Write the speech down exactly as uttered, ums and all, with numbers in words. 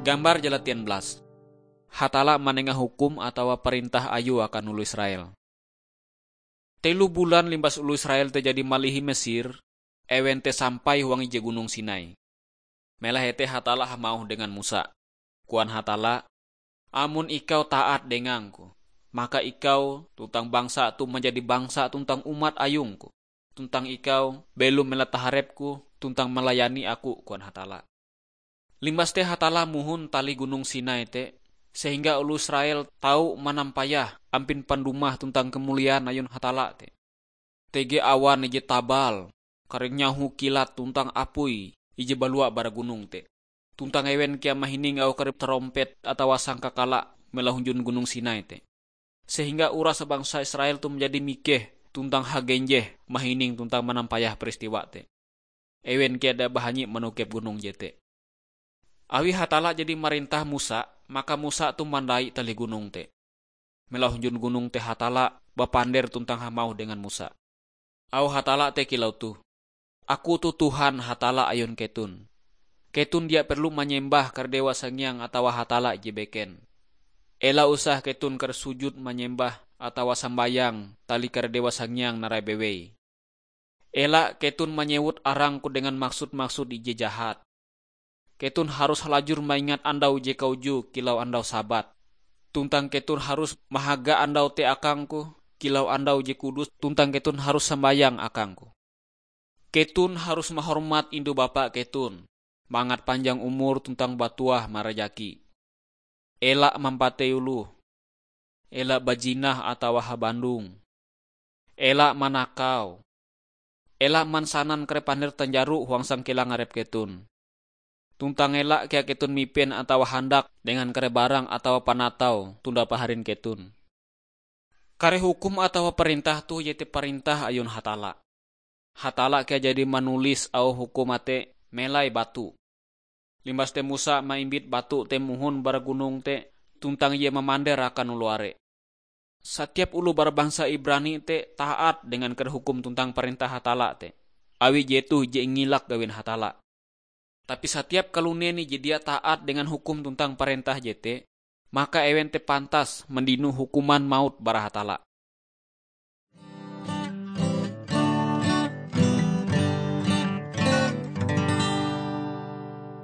Gambar jala tian belas. Hatalla manenga hukum atawa parentah Ayue akan oloh Israel. Telo bulan limbas oloh Israel te jadi malihi Mesir, ewen te sampai huang ije gunong Sinai. Melahe te Hatalla hamauh dengan Musa. Koan Hatalla, "Amon ikau taat dengang-Ku, maka ikau tuntang bangsa toh manjadi bangsa tuntang umat ayung-Ku, tuntang ikau belom mela taharep-Ku tuntang malayani Aku," koan Hatalla. Limbas te Hatalla mohon talih gunong Sinai te, sehingga oloh Israel tau manampayah ampin pandumah tuntang kemuliaan ayun Hatalla te. Tege awan ije tabal, kareh nyaho kilat tuntang apui ije balua bara gunong te. Tuntang ewen kea mahining auh kare tarompet atawa sangkakala mela hunjun gunong Sinai te. Sehingga uras bangsa Israel toh manjadi mikeh tuntang hagenjeh mahining tuntang manampayah peristiwa te. Ewen kea dia bahanyi manokep gunong jete. Awi Hatalla jadi marentah Musa, maka Musa toh mandai talih gunong te. Mela hunjun gunong te Hatalla bapander tuntang hamauh dengan Musa. Auh Hatalla te kilau toh, "Aku toh Tuhan Hatalla ayun keton. Keton dia perlu manyembah kare dewa sangiang atawa hatalla ije beken. Ela usah keton kare sujud manyembah atawa sambayang talih kare dewa sangiang narai bewei. Ela keton manyewut arang-Ku dengan maksud-maksud ije jahat. Keton harus halajur maingat andau je kauju kilau andau Sabat. Tuntang keton harus mahaga andau te akang-Ku kilau andau je kudus, tuntang keton harus sambayang akang-Ku. Keton harus mahormat indu bapa keton, mangat panjang umur tuntang batuah marajaki. Ela mampatei oloh. Ela bajinah atawa habandong. Ela manakau. Ela mansanan kare pander tanjaro huang sangkilang arep keton. Tuntang ela kea keton mipen atawa handak dengan kare barang atawa panatau tonda paharin keton." Kare hukum atawa parentah toh iete parentah ayun Hatalla. Hatalla kea jadi manulis auh hukum te melai batu. Limbas te Musa maimbit batu te mohon bara gunong te, tuntang ie mamander akan oloh are. Satiap oloh bara bangsa Ibrani te taat dengan kare hukum tuntang parentah Hatalla te, awi jetoh je ingilak gawin Hatalla. Tapi satiap kalunen ije dia taat dengan hukum tuntang parentah jete, maka ewen te pantas mandino hukuman maut bara Hatalla.